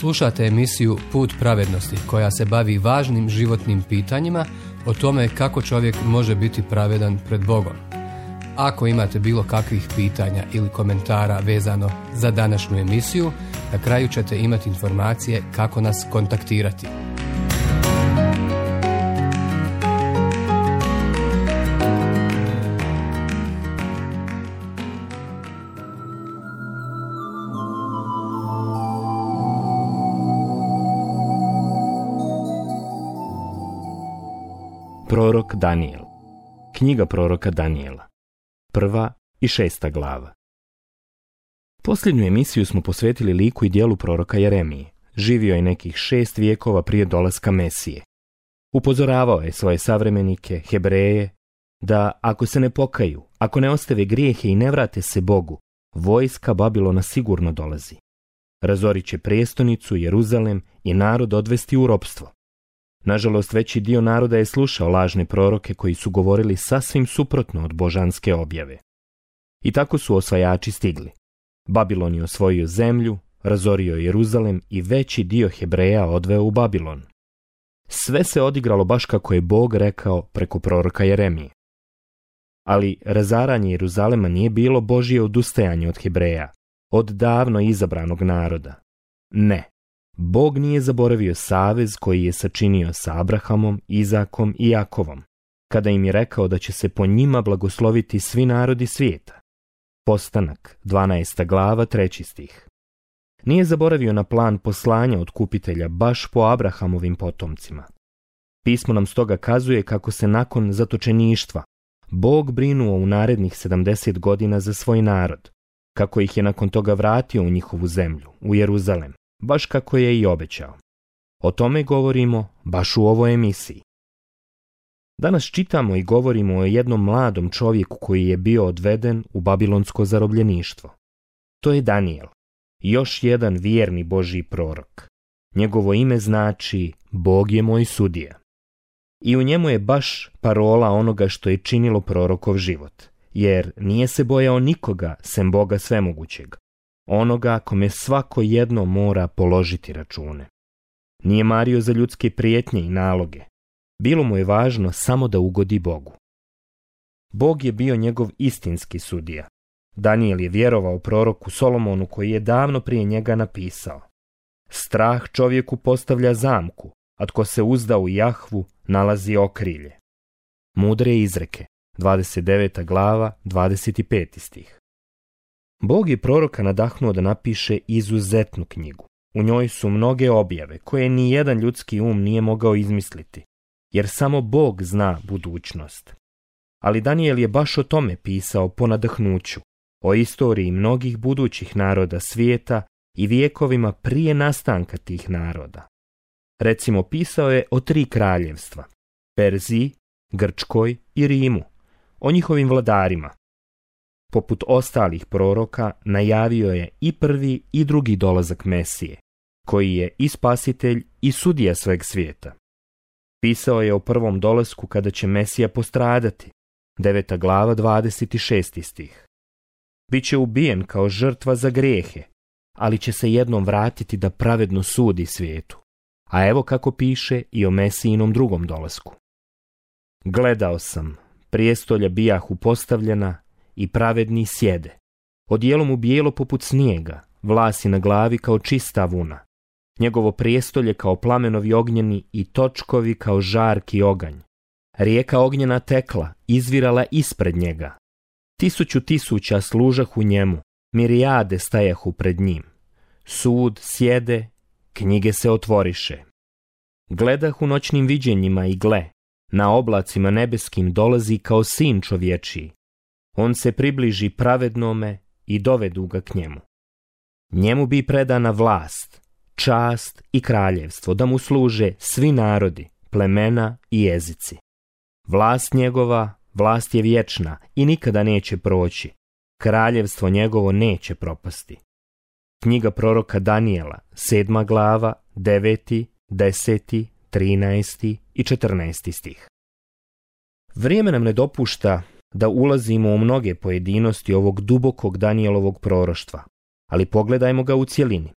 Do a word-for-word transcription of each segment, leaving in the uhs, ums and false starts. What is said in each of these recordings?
Slušate emisiju Put pravednosti koja se bavi važnim životnim pitanjima o tome kako čovjek može biti pravedan pred Bogom. Ako imate bilo kakvih pitanja ili komentara vezano za današnju emisiju, na kraju ćete imati informacije kako nas kontaktirati. Prorok Danijel. Knjiga proroka Danijela. Prva i šesta glava. Posljednju emisiju smo posvetili liku i dijelu proroka Jeremije. Živio je nekih šest vijekova prije dolaska Mesije. Upozoravao je svoje savremenike, Hebreje, da ako se ne pokaju, ako ne ostave grijehe i ne vrate se Bogu, vojska Babilona sigurno dolazi. Razorit će prijestolnicu, Jeruzalem i narod odvesti u ropstvo. Nažalost, veći dio naroda je slušao lažne proroke koji su govorili sasvim suprotno od božanske objave. I tako su osvajači stigli. Babilon je osvojio zemlju, razorio Jeruzalem i veći dio Hebreja odveo u Babilon. Sve se odigralo baš kako je Bog rekao preko proroka Jeremije. Ali razaranje Jeruzalema nije bilo Božje odustajanje od Hebreja, od davno izabranog naroda. Ne. Bog nije zaboravio savez koji je sačinio sa Abrahamom, Izakom i Jakovom, kada im je rekao da će se po njima blagosloviti svi narodi svijeta. Postanak, dvanaesta glava, treći stih. Nije zaboravio na plan poslanja otkupitelja baš po Abrahamovim potomcima. Pismo nam stoga kazuje kako se nakon zatočeništva Bog brinuo u narednih sedamdeset godina za svoj narod, kako ih je nakon toga vratio u njihovu zemlju, u Jeruzalem, baš kako je i obećao. O tome govorimo baš u ovoj emisiji. Danas čitamo i govorimo o jednom mladom čovjeku koji je bio odveden u babilonsko zarobljeništvo. To je Danijel, još jedan vjerni Božji prorok. Njegovo ime znači Bog je moj sudija. I u njemu je baš parola onoga što je činilo prorokov život, jer nije se bojao nikoga sem Boga svemogućeg, onoga kome svako jedno mora položiti račune. Nije mario za ljudske prijetnje i naloge. Bilo mu je važno samo da ugodi Bogu. Bog je bio njegov istinski sudija. Danijel je vjerovao proroku Solomonu koji je davno prije njega napisao: strah čovjeku postavlja zamku, a tko se uzda u Jahvu nalazi okrilje. Mudre izreke, dvadeset deveta glava, dvadeset peti stih. Bog je proroka nadahnuo da napiše izuzetnu knjigu. U njoj su mnoge objave koje ni jedan ljudski um nije mogao izmisliti, jer samo Bog zna budućnost. Ali Danijel je baš o tome pisao po nadahnuću, o istoriji mnogih budućih naroda svijeta i vijekovima prije nastanka tih naroda. Recimo, pisao je o tri kraljevstva, Perziji, Grčkoj i Rimu, o njihovim vladarima. Poput ostalih proroka, najavio je i prvi i drugi dolazak Mesije, koji je i spasitelj i sudija sveg svijeta. Pisao je o prvom dolasku kada će Mesija postradati, deveta glava, dvadeset šesti stih. Biće ubijen kao žrtva za grijehe, ali će se jednom vratiti da pravedno sudi svijetu. A evo kako piše i o Mesijinom drugom dolasku. Gledao sam, prijestolja bijahu postavljena i pravedni sjede. Odijelo mu bijelo poput snijega, vlasi na glavi kao čista vuna. Njegovo prijestolje kao plamenovi ognjeni i točkovi kao žarki oganj. Rijeka ognjena tekla, izvirala ispred njega. Tisuću tisuća služahu njemu, mirijade stajahu pred njim. Sud sjede, knjige se otvoriše. Gledah u noćnim viđenjima i gle, na oblacima nebeskim dolazi kao sin čovječiji. On se približi pravednome i dovedu ga k njemu. Njemu bi predana vlast, čast i kraljevstvo, da mu služe svi narodi, plemena i jezici. Vlast njegova, vlast je vječna i nikada neće proći. Kraljevstvo njegovo neće propasti. Knjiga proroka Danijela, sedma glava, deveti, deseti, trinaesti i četrnaesti stih. Vrijeme nam ne dopušta da ulazimo u mnoge pojedinosti ovog dubokog Danijelovog proroštva, ali pogledajmo ga u cjelini.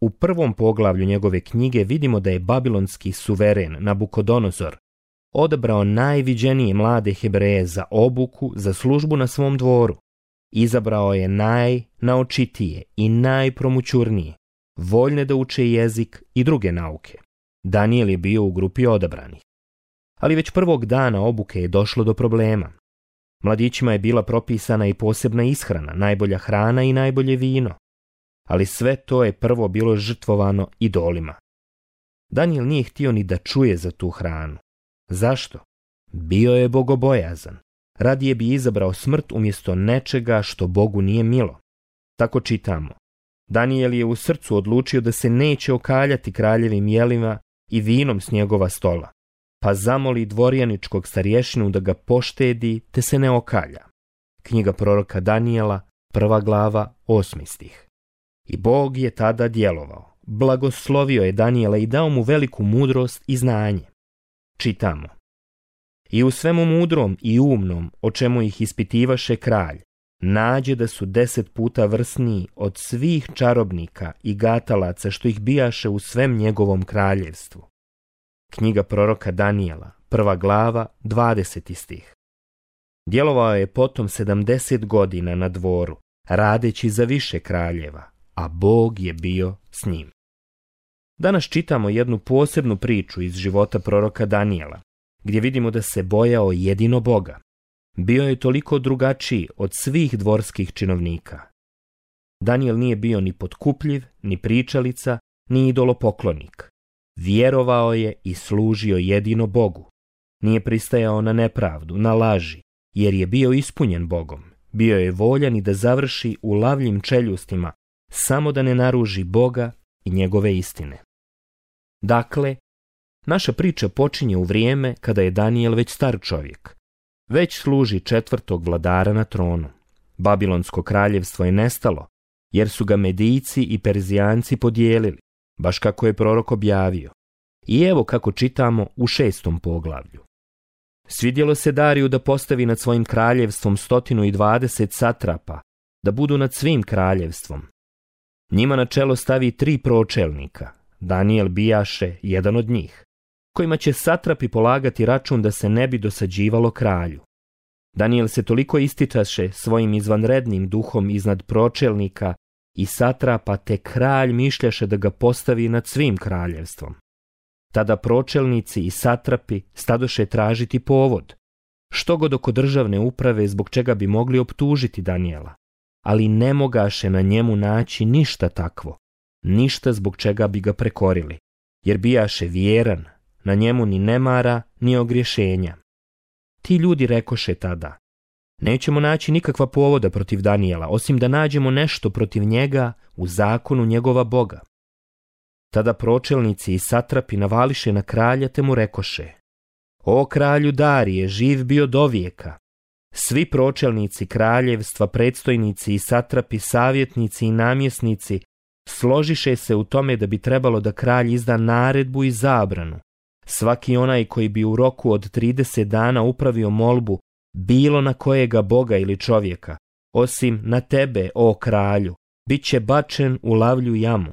U prvom poglavlju njegove knjige vidimo da je babilonski suveren Nabukodonozor odabrao najviđenije mlade Hebreje za obuku, za službu na svom dvoru. Izabrao je najnaočitije i najpromućurnije, voljne da uče jezik i druge nauke. Danijel je bio u grupi odabranih. Ali već prvog dana obuke je došlo do problema. Mladićima je bila propisana i posebna ishrana, najbolja hrana i najbolje vino. Ali sve to je prvo bilo žrtvovano idolima. Danijel nije htio ni da čuje za tu hranu. Zašto? Bio je bogobojazan. Radije bi izabrao smrt umjesto nečega što Bogu nije milo. Tako čitamo. Danijel je u srcu odlučio da se neće okaljati kraljevim jelima i vinom s njegova stola, pa zamoli dvorjaničkog starješinu da ga poštedi te se ne okalja. Knjiga proroka Danijela, prva glava, osmi stih. I Bog je tada djelovao. Blagoslovio je Danijela i dao mu veliku mudrost i znanje. Čitamo. I u svemu mudrom i umnom, o čemu ih ispitivaše kralj, nađe da su deset puta vrsniji od svih čarobnika i gatalaca što ih bijaše u svem njegovom kraljevstvu. Knjiga proroka Danijela, prva glava, dvadeseti stih. Djelovao je potom sedamdeset godina na dvoru, radeći za više kraljeva, a Bog je bio s njim. Danas čitamo jednu posebnu priču iz života proroka Danijela, gdje vidimo da se bojao jedino Boga. Bio je toliko drugačiji od svih dvorskih činovnika. Danijel nije bio ni potkupljiv, ni pričalica, ni idolopoklonik. Vjerovao je i služio jedino Bogu. Nije pristajao na nepravdu, na laži, jer je bio ispunjen Bogom. Bio je voljan i da završi u lavljim čeljustima, samo da ne naruži Boga i njegove istine. Dakle, naša priča počinje u vrijeme kada je Danijel već star čovjek. Već služi četvrtog vladara na tronu. Babilonsko kraljevstvo je nestalo, jer su ga Medijci i Perzijanci podijelili, baš kako je prorok objavio. I evo kako čitamo u šestom poglavlju. Svidjelo se Dariju da postavi nad svojim kraljevstvom stotinu i dvadeset satrapa, da budu nad svim kraljevstvom. Njima na čelo stavi tri pročelnika, Danijel bijaše jedan od njih, kojima će satrapi polagati račun da se ne bi dosađivalo kralju. Danijel se toliko ističaše svojim izvanrednim duhom iznad pročelnika i satrapa, te kralj mišljaše da ga postavi nad svim kraljevstvom. Tada pročelnici i satrapi stadoše tražiti povod, što god oko državne uprave zbog čega bi mogli optužiti Danijela, ali ne mogaše na njemu naći ništa takvo, ništa zbog čega bi ga prekorili, jer bijaše vjeran, na njemu ni nemara, ni ogriješenja. Ti ljudi rekoše tada, nećemo naći nikakva povoda protiv Danijela, osim da nađemo nešto protiv njega u zakonu njegova Boga. Tada pročelnici i satrapi navališe na kralja te mu rekoše, o kralju Darije, živ bio do vijeka. Svi pročelnici kraljevstva, predstojnici i satrapi, savjetnici i namjesnici složiše se u tome da bi trebalo da kralj izda naredbu i zabranu. Svaki onaj koji bi u roku od trideset dana upravio molbu bilo na kojega Boga ili čovjeka, osim na tebe, o kralju, bit će bačen u lavlju jamu.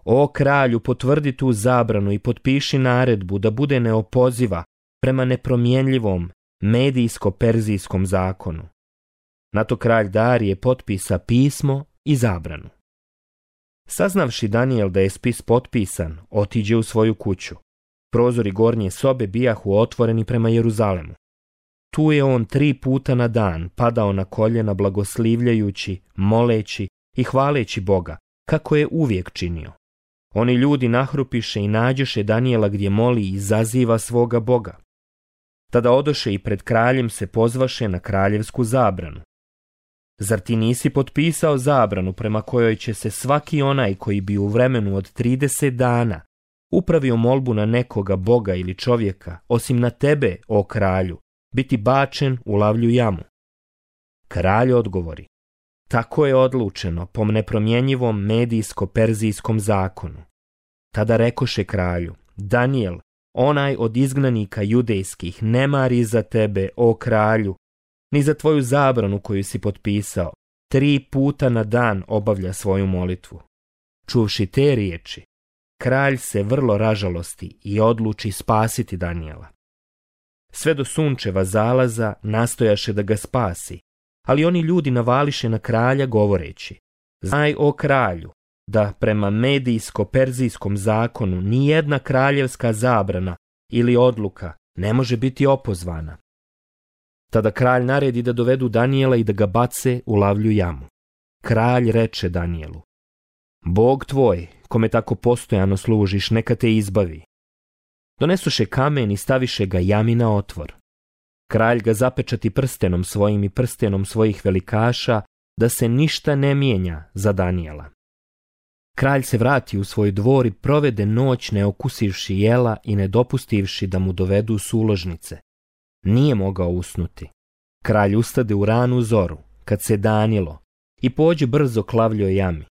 O kralju, potvrdi tu zabranu i potpiši naredbu da bude neopoziva prema nepromjenljivom medijsko-perzijskom zakonu. Na to kralj Darije potpisa pismo i zabranu. Saznavši Danijel da je spis potpisan, otiđe u svoju kuću. Prozori gornje sobe bijahu otvoreni prema Jeruzalemu. Tu je on tri puta na dan padao na koljena blagoslivljajući, moleći i hvaleći Boga, kako je uvijek činio. Oni ljudi nahrupiše i nađoše Danijela gdje moli i zaziva svoga Boga. Tada odoše i pred kraljem se pozvaše na kraljevsku zabranu. Zar ti nisi potpisao zabranu prema kojoj će se svaki onaj koji bi u vremenu od trideset dana upravio molbu na nekoga Boga ili čovjeka, osim na tebe, o kralju, biti bačen u lavlju jamu? Kralj odgovori, tako je odlučeno po nepromjenjivom medijsko-perzijskom zakonu. Tada rekoše kralju, Danijel, onaj od izgnanika judejskih, ne mari za tebe, o kralju, ni za tvoju zabranu koju si potpisao, tri puta na dan obavlja svoju molitvu. Čuvši te riječi, kralj se vrlo ražalosti i odluči spasiti Danijela. Sve do sunčeva zalaza nastojaše da ga spasi, ali oni ljudi navališe na kralja govoreći: znaj, o kralju, da prema medijsko-perzijskom zakonu nijedna kraljevska zabrana ili odluka ne može biti opozvana. Tada kralj naredi da dovedu Danijela i da ga bace u lavlju jamu. Kralj reče Danijelu: Bog tvoj, kome tako postojano služiš, neka te izbavi. Donesuše kamen i staviše ga jami na otvor. Kralj ga zapečati prstenom svojim i prstenom svojih velikaša, da se ništa ne mijenja za Danijela. Kralj se vrati u svoj dvor i provede noć ne okusivši jela i ne dopustivši da mu dovedu suložnice. Nije mogao usnuti. Kralj ustade u ranu zoru, kad se danilo, i pođe brzo k lavljoj jami.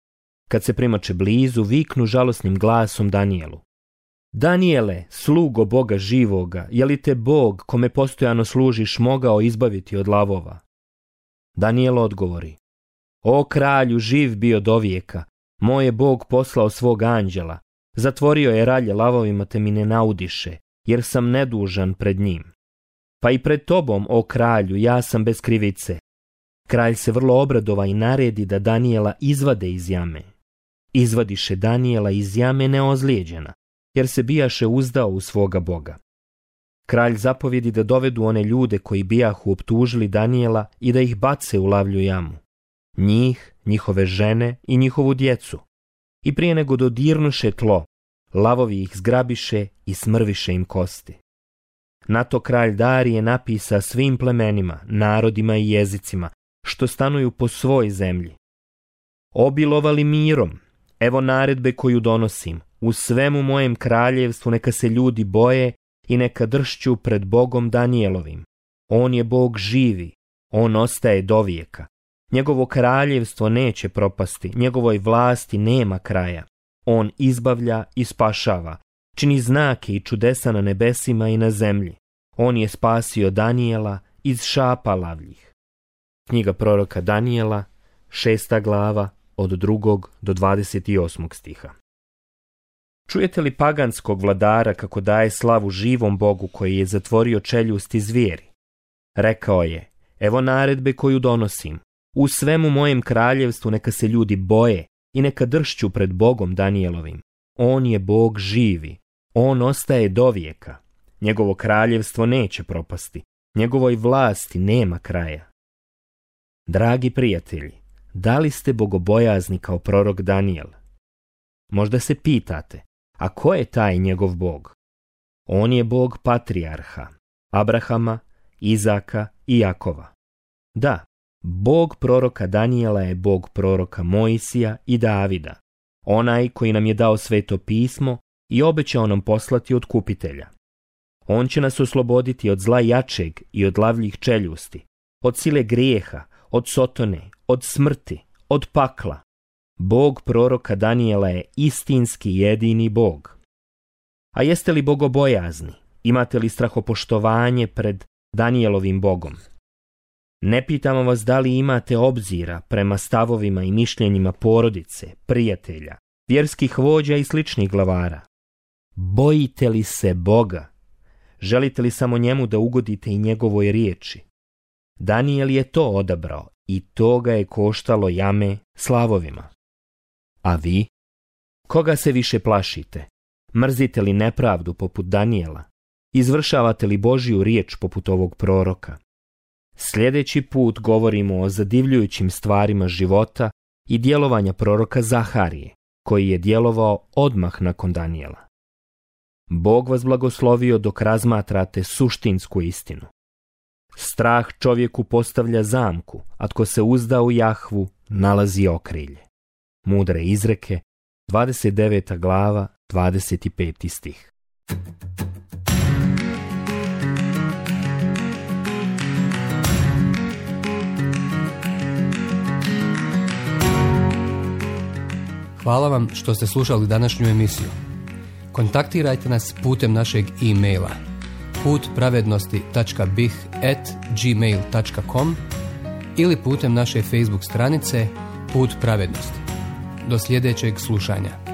Kad se primače blizu, viknu žalosnim glasom Danijelu: Danijele, slugo Boga živoga, je li te Bog, kome postojano služiš, mogao izbaviti od lavova? Danijel odgovori: O kralju, živ bio dovijeka, moj je Bog poslao svog anđela, zatvorio je ralje lavovima te mi ne naudiše, jer sam nedužan pred njim. Pa i pred tobom, o kralju, ja sam bez krivice. Kralj se vrlo obradova i naredi da Danijela izvade iz jame. Izvadiše Danijela iz jame neozlijeđena, jer se bijaše uzdao u svoga Boga. Kralj zapovjedi da dovedu one ljude koji bijahu optužili Danijela i da ih bace u lavlju jamu. Njih, njihove žene i njihovu djecu. I prije nego dodirnuše tlo, lavovi ih zgrabiše i smrviše im kosti. Na to kralj Darije napisa svim plemenima, narodima i jezicima, što stanuju po svoj zemlji: Obilovali mirom, evo naredbe koju donosim, u svemu mojem kraljevstvu neka se ljudi boje i neka dršću pred Bogom Danijelovim. On je Bog živi, on ostaje dovijeka. Njegovo kraljevstvo neće propasti, njegovoj vlasti nema kraja. On izbavlja i spašava, čini znake i čudesa na nebesima i na zemlji. On je spasio Danijela iz šapa lavljih. Knjiga proroka Danijela, šesta glava, od drugog do dvadeset osmog stiha. Čujete li paganskog vladara kako daje slavu živom Bogu koji je zatvorio čeljusti zvijeri? Rekao je: Evo naredbe koju donosim. U svemu mojem kraljevstvu neka se ljudi boje i neka dršću pred Bogom Danijelovim. On je Bog živi. On ostaje dovijeka. Njegovo kraljevstvo neće propasti. Njegovoj vlasti nema kraja. Dragi prijatelji, da li ste bogobojazni kao prorok Danijel? Možda se pitate, a ko je taj njegov Bog? On je Bog patrijarha, Abrahama, Izaka i Jakova. Da, Bog proroka Danijela je Bog proroka Mojsija i Davida, onaj koji nam je dao sveto pismo i obećao nam poslati otkupitelja. On će nas osloboditi od zla jačeg i od lavljih čeljusti, od sile grijeha, od sotone, od smrti, od pakla. Bog proroka Danijela je istinski jedini Bog. A jeste li bogobojazni? Imate li strahopoštovanje pred Danijelovim Bogom? Ne pitamo vas da li imate obzira prema stavovima i mišljenjima porodice, prijatelja, vjerskih vođa i sličnih glavara. Bojite li se Boga? Želite li samo njemu da ugodite i njegovoj riječi? Danijel je to odabrao i to ga je koštalo jame slavovima. A vi? Koga se više plašite? Mrzite li nepravdu poput Danijela? Izvršavate li Božju riječ poput ovog proroka? Sljedeći put govorimo o zadivljujućim stvarima života i djelovanja proroka Zaharije, koji je djelovao odmah nakon Danijela. Bog vas blagoslovio dok razmatrate suštinsku istinu. Strah čovjeku postavlja zamku, a tko se uzda u Jahvu nalazi okrilje. Mudre izreke, dvadeset deveta glava, dvadeset peti stih. Hvala vam što ste slušali današnju emisiju. Kontaktirajte nas putem našeg e-maila put pravednosti tačka b i h at gmail tačka com ili putem naše Facebook stranice Put pravednosti. do sljedećeg slušanja.